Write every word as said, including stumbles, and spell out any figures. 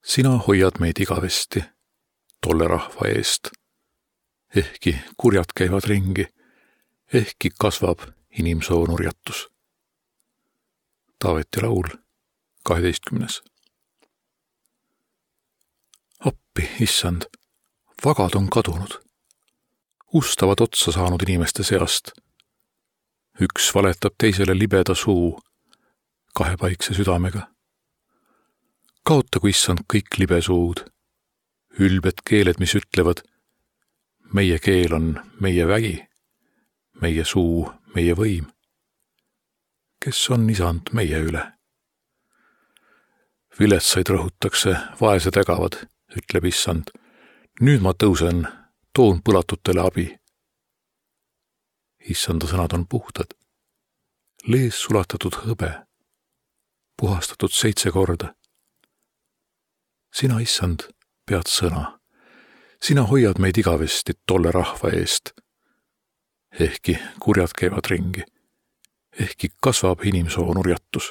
Sina hoiad meid igavesti tolle rahva eest. Ehkki kurjad käivad ringi, ehkki kasvab inimsoo nurjatus. Taaveti laul, kaheteistkümnes. Appi, issand, vagad on kadunud. Ustavad otsa saanud inimeste seast. Üks valetab teisele libeda suu, kahepaikse südamega. Kaotagu, issand, kõik libesuud, ülbed keeled, mis ütlevad, meie keel on meie vägi, meie suu, meie võim. Kes on isand meie üle? Viletsaid rõhutakse, vaesed ägavad, ütleb issand. Nüüd ma tõusen, toon põlatutele abi. Issanda sõnad on puhtad, lees sulatatud hõbe, puhastatud seitse korda. Sina, issand, pead sõna. Sina hoiad meid igavesti tolle rahva eest. Ehkki kurjad käivad ringi, ehkki kasvab inimsoo nurjatus.